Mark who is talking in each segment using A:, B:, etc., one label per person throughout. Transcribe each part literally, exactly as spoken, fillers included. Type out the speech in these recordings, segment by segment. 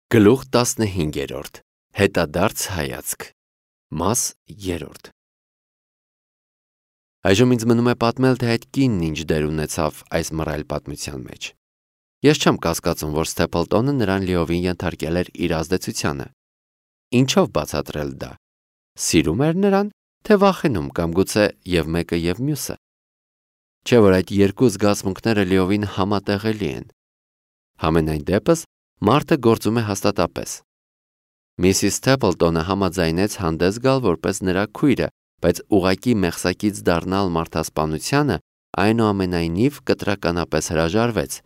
A: Գլուխ տասնհինգերորդ. Հետադարձ հայացք. Մաս երրորդ. Այժմ ինձ մնում է պատմել, թե այդ կինն ինչ դեր ունեցավ այս մռայլ պատմության մեջ։ Ես չեմ կասկածում, որ Ստեփլտոնը նրան լիովին ենթարկել էր իր ազդեցությանը։ Ինչով բացատրել դա։ Սիրում էր նրան, թե վախենում կամ գուցե և մեկը և մյուսը։ Չէ՞ որ այդ երկու զգացմունքները լիովին համատեղելի են։ Համենայն դեպս մարդը գործում է հաստատապես։ Միսիս Ստեփլտոնը համաձայնեց հանդես գալ որպես նրա քույրը, բայց ուղղակի մեղսակից դառնալ մարդասպանությանը այնուամենայնիվ կտրականապես հրաժարվեց,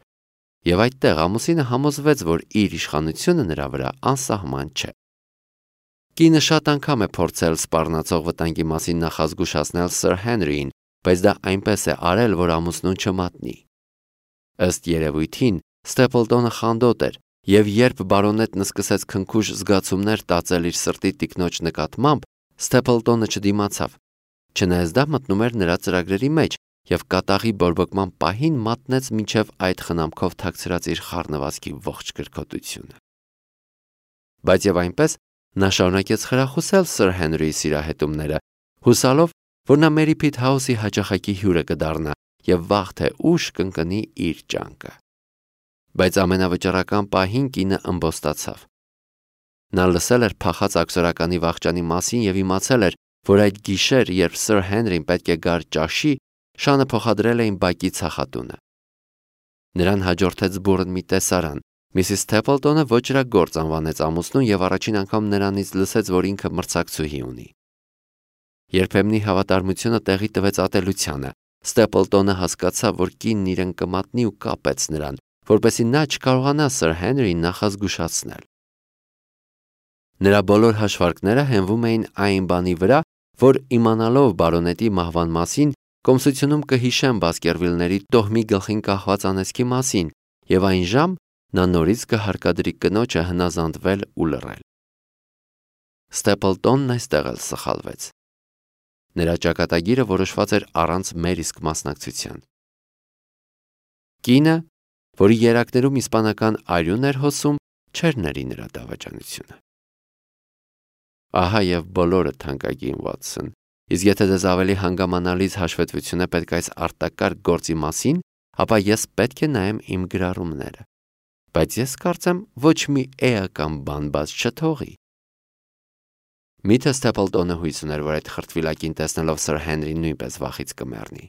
A: և այդտեղ ամուսինը համոզվեց, որ իր իշխանությունը նրա վրա անսահման չէ։ Կինը շատ անգամ է փորձել սպառնացող վտանգի մասին նախազգուշացնել Սըր Հենրիին, բայց դա այնպես է արել, որ ամուսնուն չմատնի։ Ըստ երևույթին, Ստեփլտոնը խանդոտ էր, և երբ բարոնետնը սկսեց քնքուշ զգացումներ տածել իր սրտի տիկնոջ նկատմամբ, Ստեփլտոնը չդիմացավ, չնայած դա մտնում էր նրա ծրագրերի մեջ և կատաղի բորբոքման պահին մատնեց մինչև այդ խնամքով թաքցրած իր խառնվածքի ողջ կրքոտությունը։ Բայց և այնպես նա շարունակեց խրախուսել Սըր Հենրիի սիրահետումները, հուսալով, որ նա Մերի Փիթ Հաուսի հաճախակի հյուրը կդառնա և վաղ թե ուշ կընկնի իր ջանքը։ Բայց ամենավճռական պահին կինը ըմբոստացավ։ Նա լսել էր փախած աքսորականի վախճանի մասին և իմացել էր, որ այդ գիշեր, երբ Սըր Հենրին պետք է գար ճաշի, շանը փոխադրել էին բակի ցախատունը։ Նրան հաջորդեց բուռն մի տեսարան։ Միսիս Ստեփլտոնը ոճրագործ անվանեց ամուսնուն և առաջին անգամ նրանից լսեց, որ ինքը մրցակցուհի ունի։ Երբեմնի հավատարմությունը տեղի տվեց ատելությանը։ Ստեփլտոնը հասկացավ, որ կինն իրեն կմատնի ու կապեց նրան, որպեսզի նա չկարողանա Սըր Հենրիին նախազգուշացնել։ Նրա բոլոր հաշվարկները հենվում էին այն բանի վրա, որ իմանալով բարոնետի մահվան մասին, կոմսությունում կհիշեն Բասկերվիլների տոհմի գլխին կախված անեծքի մասին, և այն ժամ նա նորից կհարկադրի կնոջը հնազանդվել ու լռել։ Ստեփլտոնն այստեղ էլ սխալվեց։ Նրա ճակատագիրը որոշված էր առանց մեր իսկ մասնակցության։ Կինը, որի երակներում իսպանական արյուն էր հոսում, չէր ների նրա դավաճանությունը։ Ահա և բոլորը, թանկագին Վաթսոն, իսկ եթե ձեզ ավելի հանգամանալից հաշվետվություն է պետք այս արտակարգ գործի մասին, ապա ես պետք է նայեմ իմ գրառումները, բայց ես կարծեմ ոչ մի էական բան բաց չթողի։ Միթե Ստեփլտոնը հույս ուներ, որ այդ խրտվիլակին տեսնելով Սըր Հենրին նույնպես վախից կմեռնի։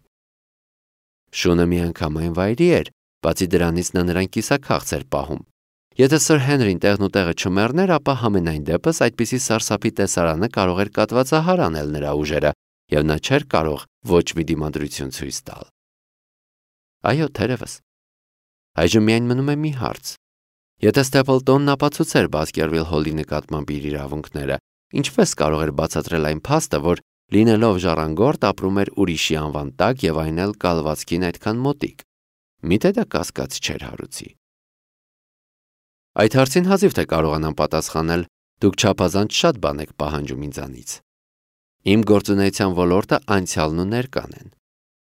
A: Շունը միանգամայն վայրի էր, բացի դրանից նա նրան կիսաքաղց էր պահում։ Եթե Սըր Հենրին տեղն ու տեղը չմեռներ, ապա համենայն դեպս այդպիսի սարսափի տեսարանը կարող էր կատվածահար անել նրա ուժերը, և նա չէր կարող ոչ մի դիմադրություն ցույց տալ։ Այո, թերևս։ Այժմ միայն մնում է մի հարց. եթե Ստեփլտոնն ապացուցեր Բասկերվիլ Հոլի նկատմամբ իր իրավունքները, ինչպես կարող էր բացատրել այն փաստը, որ լինելով ժառանգորդ ապրում էր ուրիշի անվան տակ և այն էլ կալվածքին այդքան մոտիկ։ Միթե դա կասկած չէր հարուցի։ Այդ հարցին հազիվ թե կարողանամ պատասխանել, դուք չափազանց շատ բան եք պահանջում ինձանից։ Իմ գործունեության ոլորտը անցյալն ու ներկան են։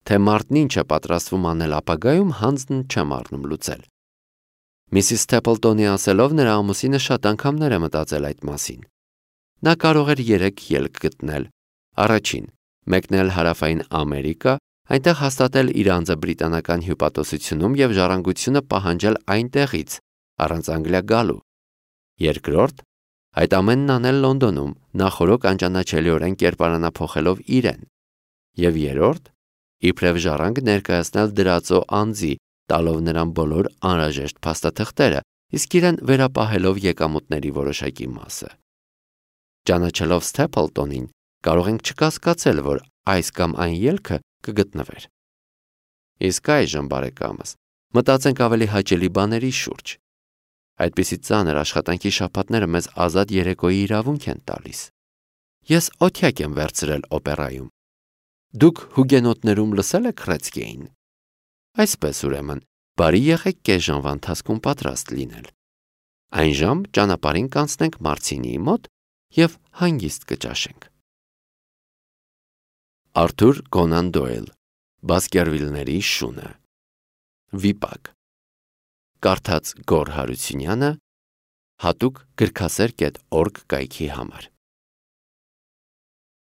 A: Թե մարդն ինչ է պատրաստվում անել ապագայում, հանձն չեմ առնում լուծել։ Միսիս Ստեփլտոնի ասելով, նրա ամուսինը շատ անգամներ է մտածել այդ մասին։ Նա կարող էր երեք ելք գտնել։ Առաջին՝ մեկնել Հարավային Ամերիկա, այնտեղ հաստատել իր անձը բրիտանական հյուպատոսությունում և ժառանգությունը պահանջել այնտեղից, առանց Անգլիա գալու։ Երկրորդ՝ այդ ամենն անել Լոնդոնում, նախօրոք անճանաչելիորեն կերպարանափոխելով իրեն։ Եվ երրորդ՝ իբրև ժառանգ ներկայացնել դրածո անձի, տալով նրան բոլոր անհրաժեշտ փաստաթղթերը, իսկ իրեն վերապահելով եկամուտների որոշակի մասը։ Ճանաչելով Ստեփլտոնին, կարող ենք չկասկածել, որ այս կամ այն ելքը կգտնվեր։ Իսկ այժմ, բարեկամս, մտածենք ավելի հաճելի բաների շուրջ։ Այդպիսի ծանր աշխատանքի շաբաթները մեզ ազատ երեկոյի իրավունք են տալիս։ Ես օթյակ եմ վերցրել օպերայում։ Դուք հուգենոտներում լսել եք Ռեցկեին։ Այսպես ուրեմն, բարի եղեք կես ժամվա ընթացքում պատրաստ լինել։ Այն ժամ ճանապարհին կանցնենք Մարցինիի մոտ և հանգիստ կճաշենք։ Արթուր Կոնան Դոյլ, Բասկերվիլների շունը։ Վիպակ։ Կարդաց Գոռ Հարությունյանը, հատուկ գրքասեր կետ օրգ կայքի համար։